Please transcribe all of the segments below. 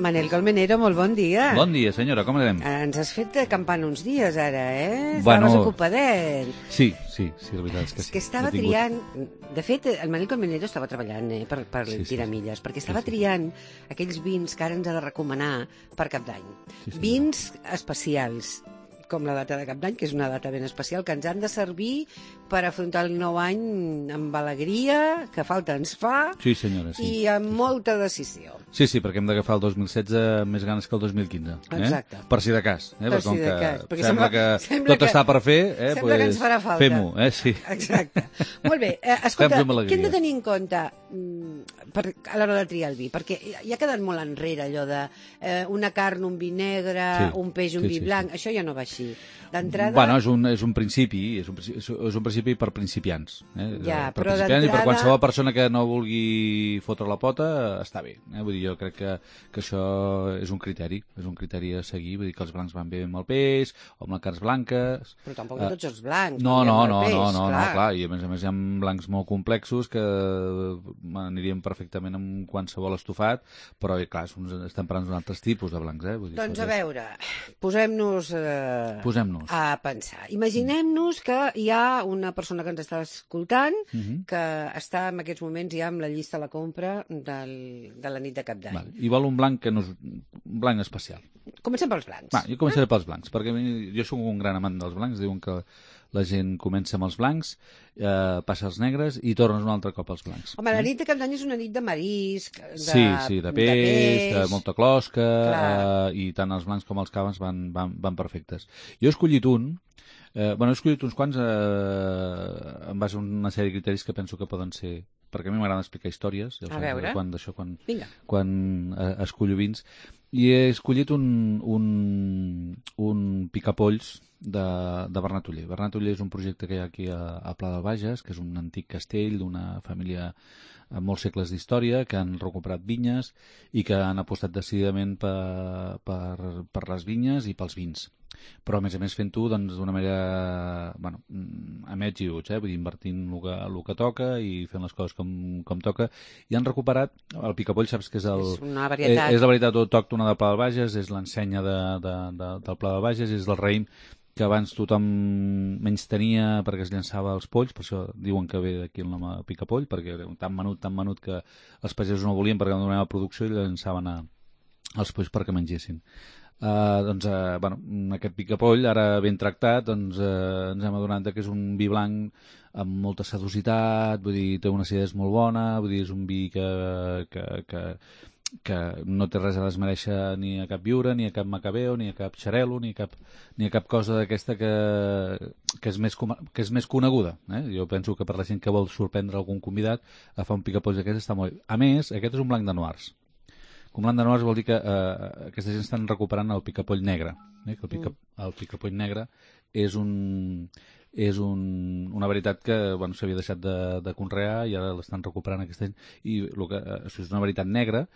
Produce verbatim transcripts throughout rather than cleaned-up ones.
Manel Colmenero, molt bon dia. Bon dia, senyora, com anem? Ens has fet campana uns dies, ara, eh? Bueno, Estaves ocupadet. Sí, sí, sí, la veritat és que És sí. que estava He tingut... triant... De fet, el Manel Colmenero estava treballant eh, per, per Sí, sí. tiramilles, perquè estava Sí, sí. triant aquells vins que ara ens ha de recomanar per Cap d'Any. Sí, sí, Vins especials, com la data de Cap d'Any, que és una data ben especial, que ens han de servir per afrontar el nou any amb alegria, que falta ens fa, Sí, senyora, sí. i amb molta decisió. Sí, sí, perquè hem d'agafar el dos mil setze amb més ganes que el dos mil quinze. Eh? Exacte. Per si de cas. Eh? Per Perquè com si de que cas, perquè sembla, sembla- que sembla tot que- està per fer, eh? sembla pues que ens farà falta. fem-ho, eh? Sí. Exacte. Molt bé, eh, escolta, Fem-ho amb alegria. què hem de tenir en compte mm, per, a l'hora de triar el vi? Perquè ja ha quedat molt enrere allò de eh, una carn, un vi negre, Sí, un peix, un sí, vi sí, blanc, això ja no va així. D'entrada... Bueno, és un, és un principi, és un, principi- és un principi per principiants. Eh? Ja, per però principiants i per d'entrada- qualsevol persona que no vulgui fotre la pota, està bé. Eh? Vull dir, jo crec que, que això és un criteri, és un criteri a seguir, vull dir que els blancs van bé amb el peix, o amb les carns blanques... Però tampoc no tots els blancs. No, com no, diem, el no, peix, no, no, clar. no, clar, i a més a més hi ha blancs molt complexos que anirien perfectament amb qualsevol estofat, però eh, clar, som, estem parlant d'un altres tipus de blancs, eh? Vull dir, Doncs a escolta, veure, posem-nos eh, Posem-nos. a pensar. Imaginem-nos que hi ha una persona que ens està escoltant Mhm. que està en aquests moments ja amb la llista a la compra del, de la nit de Cap d'Any. Vale. I vol un blanc que no és un blanc especial. Comencem pels blancs. Va, jo començaré pels blancs, perquè a mi- jo sóc un gran amant dels blancs, diuen que la gent comença amb els blancs, eh, passa als negres i tornes un altre cop als blancs. Home, la nit de Cap d'Any és una nit de marisc, de, Sí, sí, de peix, de, molta closca, Clar. eh, i tant els blancs com els caves van, van, van perfectes. Jo he escollit un, eh, bueno, he escollit uns quants eh, en base a una sèrie de criteris que penso que poden ser, perquè a mi m'agrada explicar històries, ja ho A saps, veure. quan, d'això, quan, Vinga. quan eh, escollo vins, i he escollit un, un, un picapolls de, de Bernat Oller. Bernat Oller és un projecte que hi ha aquí a, a Pla del Bages, que és un antic castell d'una família amb molts segles d'història, que han recuperat vinyes i que han apostat decididament per, per, per les vinyes i pels vins. Però, a més a més, fent-ho doncs, d'una manera, bueno, mm, amb ets i uts, eh? Vull dir, invertint el que, el que toca i fent les coses com, com toca. I han recuperat, el picapoll, saps que és el... És una varietat. És, és la varietat autòctona del Pla del Bages, és l'ensenya de, de, de, del Pla del Bages, és del raïm que abans tothom menys tenia perquè es llançava als polls, per això diuen que ve d'aquí el nom a picapoll, perquè era tan menut, tan menut que els pagesos no volien perquè no donava producció i llançaven a, als polls perquè mengessin. Uh, doncs, uh, bueno, aquest picapoll, ara ben tractat, doncs, uh, ens hem adonat que és un vi blanc amb molta sedositat, vull dir, té una acidesa molt bona, vull dir, és un vi que, que, que, que no té res a desmereixer ni a cap viure, ni a cap macabeo, ni a cap xarelo, ni a cap, ni a cap cosa d'aquesta que, que, és més, com- que és més coneguda. Eh? Jo penso que per la gent que vol sorprendre algun convidat, a fa un picapoll d'aquest està molt bé. A més, aquest és un blanc de noirs. Com blanc de noirs vol dir que eh, aquesta gent estan recuperant el picapoll negre. Eh? Que el, pica, el picapoll negre és un... és un, una varietat que bueno, s'havia deixat de, de conrear i ara l'estan recuperant aquesta gent i el que, eh, és una varietat negra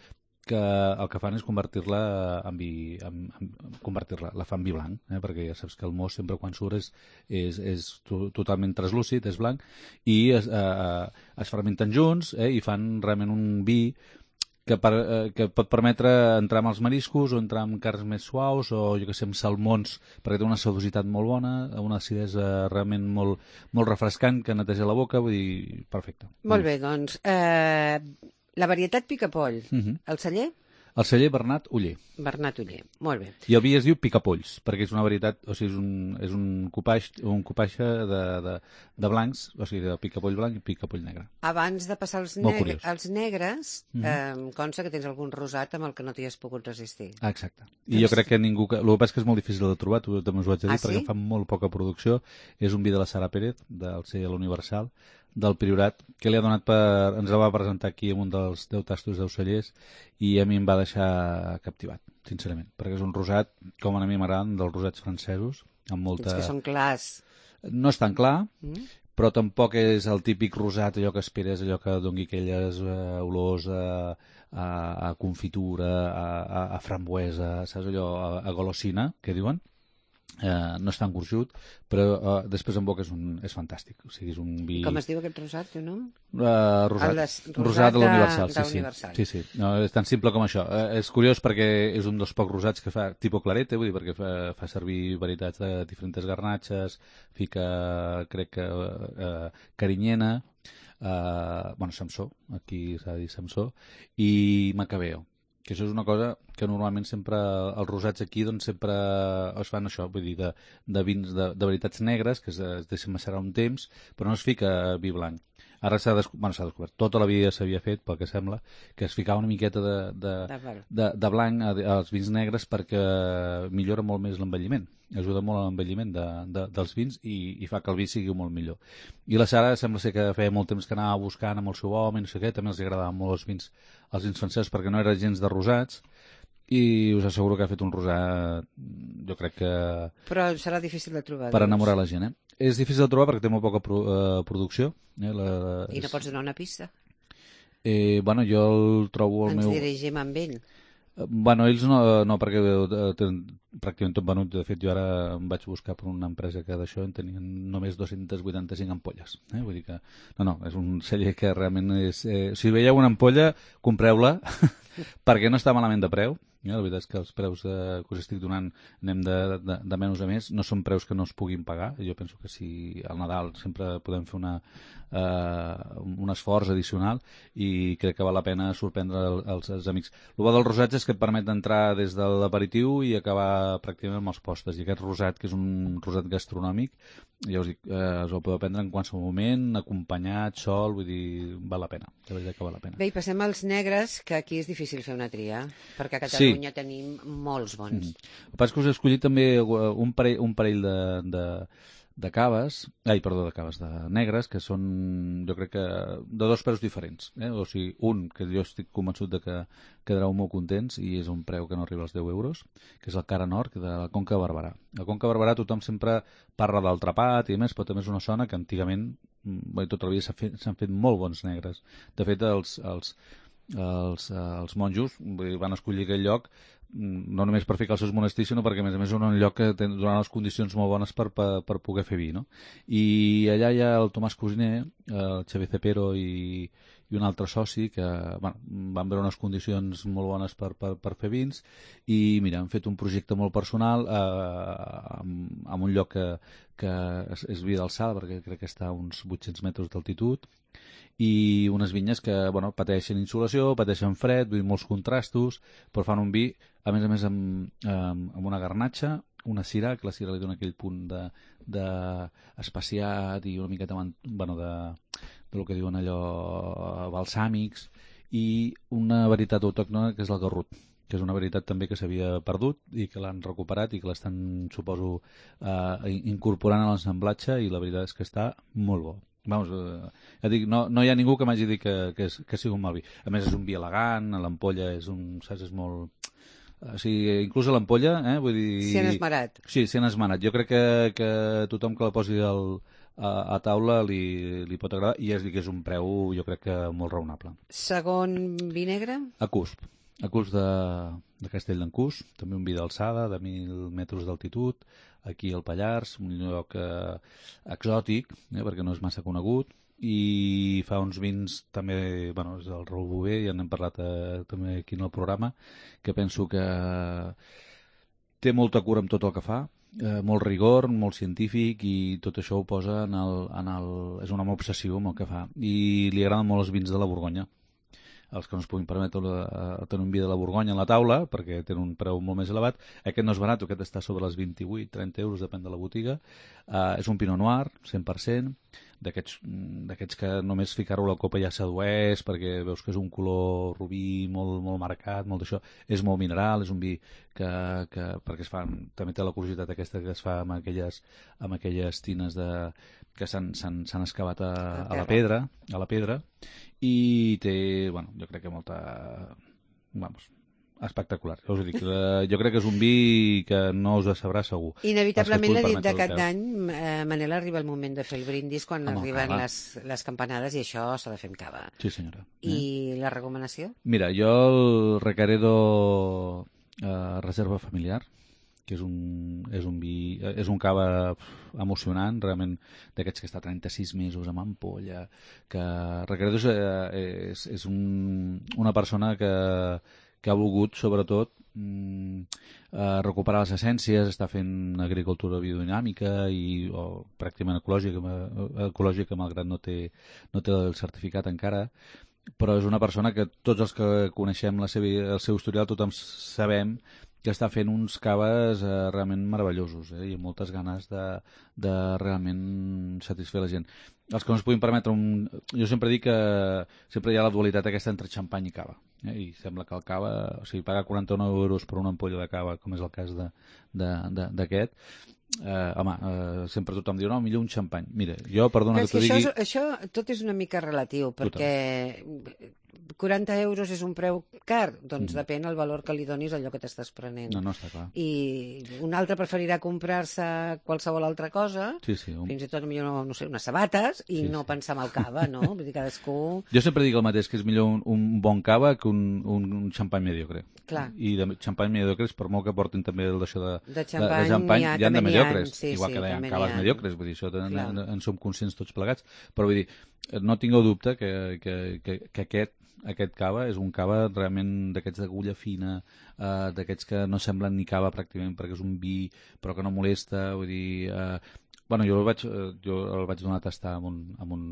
que el que fan és convertir-la en vi, en, en, convertir-la, la fan vi blanc, eh? Perquè ja saps que el mos sempre quan surt és, és, és to, totalment translúcid, és blanc, i es, eh, es fermenten junts eh? I fan realment un vi que, per, eh, que pot permetre entrar amb els mariscos o entrar amb carns més suaus o jo que sé, amb salmons, perquè té una sedositat molt bona, una acidesa realment molt, molt refrescant que neteja la boca, vull dir, perfecte. Molt bé, doncs, eh, la varietat picapoll, Mhm. el celler, El celler Bernat Oller. Bernat Oller. Molt bé. I el vi es diu picapolls, perquè és una varietat, o sigui, és un, és un copaix, un copaixa de, de, de blancs, o sigui, de picapoll blanc i picapoll negre. Abans de passar als, Molt negre, curiós. als negres, Mhm. eh, consta que tens algun rosat amb el que no t'hi has pogut resistir. Ah, exacte. I jo crec que ningú... Que... El que passa és que és molt difícil de trobar, tu també us ho haig de dir, Ah, perquè sí? en fa molt poca producció. És un vi de la Sara Pérez, del celler Universal, del Priorat, que li ha donat per... Ens el va presentar aquí en un dels deu tastos d'ocellers i a mi em va deixar captivat, sincerament, perquè és un rosat, com a mi m'agraden, dels rosats francesos, amb molta... Els que són clars. No és tan clar, Mm? però tampoc és el típic rosat, allò que esperes, allò que doni aquelles eh, olors a, a, a confitura, a, a, a frambuesa, saps allò, a, a golosina, que diuen? Eh, no és tan gruixut, però eh, després en boca és, un, és fantàstic. O sigui, és un vi... Com es diu aquest rosat, teu nom? Uh, rosat. El des, rosat, rosat de l'Universal, de, sí, sí. Universal. sí, sí. No, és tan simple com això. Uh, és curiós perquè és un dels pocs rosats que fa tipus clarete, vull dir, perquè fa, fa servir varietats de diferents garnatxes, fica, crec que, uh, carinyena, uh, bueno, Samsó, aquí s'ha de dir Samsó, i Macabeo. Que això és una cosa que normalment sempre, els rosats aquí, doncs sempre es fan això, vull dir, de, de vins, de, de varietats negres, que es, es deixen macerar un temps, però no es fica vi blanc. Ara s'ha descobert, bueno, s'ha descobert, tota la vida s'havia fet, pel que sembla, que es ficava una miqueta de, de, de, de blanc als vins negres perquè millora molt més l'envelliment, ajuda molt a l'envelliment de, de, dels vins i, i fa que el vi sigui molt millor. I la Sara sembla ser que feia molt temps que anava buscant amb el seu home i no sé què, també els agradaven molt els vins, els vins francesos perquè no eren gens de rosats, i us asseguro que ha fet un rosat, jo crec que... Però serà difícil de trobar. Per enamorar la gent, eh? És difícil de trobar perquè té molt poca pro, eh, producció. Eh? La, I no pots donar una pista? Eh, bueno, jo el trobo al Ens meu... Ens dirigim amb ell. Bueno, ells no, no perquè tenen pràcticament tot venut. De fet, jo ara em vaig buscar per una empresa que d'això en tenien només dos-cents vuitanta-cinc ampolles. Eh? Vull dir que... No, no, és un celler que realment és... Eh... Si veieu una ampolla, compreu-la, perquè no està malament de preu. Eh? La veritat és que els preus de, que us estic donant anem de, de, de menys a més. No són preus que no es puguin pagar. Jo penso que si al Nadal sempre podem fer una, eh, un esforç addicional i crec que val la pena sorprendre els, els amics. El bo dels rosats és que et permet entrar des de l'aperitiu i acabar pràcticament amb els postres. I aquest rosat, que és un rosat gastronòmic, ja us dic, eh, us el podeu prendre en qualsevol moment, acompanyat, sol, vull dir, val la pena. La veritat que val la pena. Bé, i passem als negres, que aquí és difícil fer una tria, perquè a Catalunya sí. tenim molts bons. Mm-hmm. El que passa és que us he escollit també un parell, un parell de, de, de caves, ai, perdó, de caves, de negres, que són, jo crec que, de dos preus diferents. Eh? O sigui, un, que jo estic convençut de que quedareu molt contents i és un preu que no arriba als deu euros, que és el Cara Nord, de la Conca de Barberà. La Conca de Barberà tothom sempre parla del trapat i més, però també és una zona que antigament, bé, tota la vida s'han fet, fet molt bons negres. De fet, els, els, els, els monjos van escollir aquell lloc no només per ficar els seus monestirs, sinó perquè a més a més és un lloc que donen les condicions molt bones per, per, per poder fer vi, no? I allà hi ha el Tomàs Cosiner, el Xavier Cepero i, i un altre soci que bueno, van veure unes condicions molt bones per, per, per fer vins i mira, han fet un projecte molt personal eh, amb, amb un lloc que, que és, és vi d'alçada, perquè crec que està a uns vuit-cents metres d'altitud, i unes vinyes que bueno, pateixen insolació, pateixen fred, vull dir, molts contrastos, però fan un vi, a més a més, amb, amb, amb una garnatxa, una sirà, que la sirà li dona aquell punt de, de espaciat i una miqueta bueno, de, de lo que diuen allò balsàmics, i una varietat autòctona que és el garrut, que és una varietat també que s'havia perdut i que l'han recuperat i que l'estan, suposo, eh, incorporant a l'ensamblatge, i la veritat és que està molt bo. Vamos, eh, ja dic, no, no hi ha ningú que m'hagi dit que, que, és, que sigui un mal vi. A més, és un vi elegant, l'ampolla és un... saps, és molt... O sigui, inclús a l'ampolla, eh, vull dir... S'hi han esmerat. Sí, s'hi han esmerat. Jo crec que, que tothom que la posi al, a, a taula li, li pot agradar, i és dir que és un preu, jo crec que molt raonable. Segon vi negre? A Cusp. A Cusp de, de Castell d'en Cusp, també un vi d'alçada, de mil metres d'altitud, aquí al Pallars, un lloc eh, exòtic, eh, perquè no és massa conegut, i fa uns vins també, bueno, és el Raül Bové, ja n'hem parlat eh, també aquí en el programa, que penso que té molta cura amb tot el que fa, eh, molt rigor, molt científic, i tot això ho posa en el, en el... és un home obsessiu amb el que fa, i li agraden molt els vins de la Borgonya. Els que no es puguin permetre tenir un vi de la Borgonya a la taula, perquè tenen un preu molt més elevat. Aquest no és barat, aquest està sobre els vint-i-vuit trenta euros, depèn de la botiga. Uh, és un Pinot Noir, cent per cent, d'aquests d'aquests que només ficar-ho a la copa ja sedueix, perquè veus que és un color rubí molt, molt marcat, molt d'això. És molt mineral, és un vi que, que perquè es fa, també té la curiositat aquesta que es fa amb aquelles, amb aquelles tines de, que s'han excavat a, a la pedra, a la pedra, i té, bueno, jo crec que molta, vamos, espectacular. Jo us dic, jo crec que és un vi que no us sabrà segur. Inevitablement l'ha dit de cap d'any, eh, Manel, arriba el moment de fer el brindis quan Home, arriben cava. les, les campanades, i això s'ha de fer amb cava. Sí, senyora. I eh? la recomanació? Mira, jo el Recaredo eh, reserva familiar, que és un, és un vi, és un cava emocionant, realment d'aquests que està trenta-sis mesos amb ampolla, que Requeredo és, és, és un, una persona que, que ha volgut, sobretot, mm, eh, recuperar les essències, està fent agricultura biodinàmica i o, pràcticament ecològica, ecològica malgrat no té, no té el certificat encara, però és una persona que tots els que coneixem la seva, el seu historial, tothom sabem que està fent uns caves eh, realment meravellosos, eh, i amb moltes ganes de, de realment satisfer la gent. Els que no es puguin permetre un... Jo sempre dic que sempre hi ha la dualitat aquesta entre xampany i cava, eh, i sembla que el cava, o sigui, pagar quaranta-nou euros per una ampolla de cava, com és el cas d'aquest, eh, home, eh, sempre tothom diu, no, millor un xampany. Mira, jo, perdona que, que t'ho digui... Això, això tot és una mica relatiu, perquè quaranta euros és un preu car, doncs mm. depèn el valor que li donis a allò que t'estàs prenent. No, no, està clar. I un altre preferirà comprar-se qualsevol altra cosa, sí, sí, un... fins i tot millor, no, no sé, unes sabates, i sí, no sí. pensar en el cava, no? Vull dir, cadascú... Jo sempre dic el mateix, que és millor un, un bon cava que un, un, un xampany mediocre. Clar. I de xampany mediocres, per molt que portin també d'això de, de xampany, de, de xampany hi ha, hi ha de mediocres, sí, igual sí, que hi ha caves ha... mediocres, vull dir, això en, en, en som conscients tots plegats, però vull dir, no tingueu dubte que, que, que, que aquest aquest cava és un cava realment d'aquests d'agulla fina, eh, d'aquests que no semblen ni cava pràcticament perquè és un vi però que no molesta, vull dir, eh, bueno, jo el vaig, jo el vaig donar a tastar amb un, amb un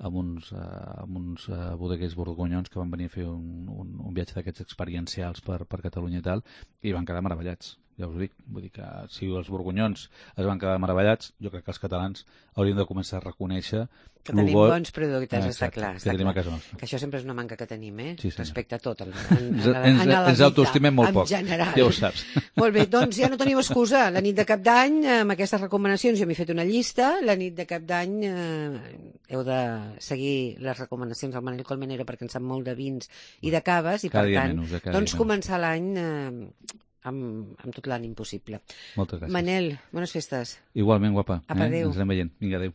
amb uns, uh, amb uns uh, bodeguers borgonyons que van venir a fer un, un, un viatge d'aquests experiencials per, per Catalunya i tal, i van quedar meravellats, ja us ho dic. Vull dir que si els borgonyons es van quedar meravellats, jo crec que els catalans haurien de començar a reconèixer que tenim bo... bons productes, ah, està clar. Està que, clar. Que això sempre és una manca que tenim, eh? Sí, respecte a tot. En, en, ens en, en ens autoestimem molt poc, general. ja ho saps. Molt bé, doncs ja no tenim excusa. La nit de Cap d'Any, amb aquestes recomanacions, jo m'he fet una llista. La nit de Cap d'Any eh, heu de seguir les recomanacions del Manel Colmenero perquè en sap molt de vins i de caves, i cada per tant, menys, eh, doncs començar l'any eh, amb, amb tot l'ànim possible. Moltes gràcies. Manel, bones festes. Igualment, guapa. Apa, eh? adéu. Ens anem veient. Vinga, adéu.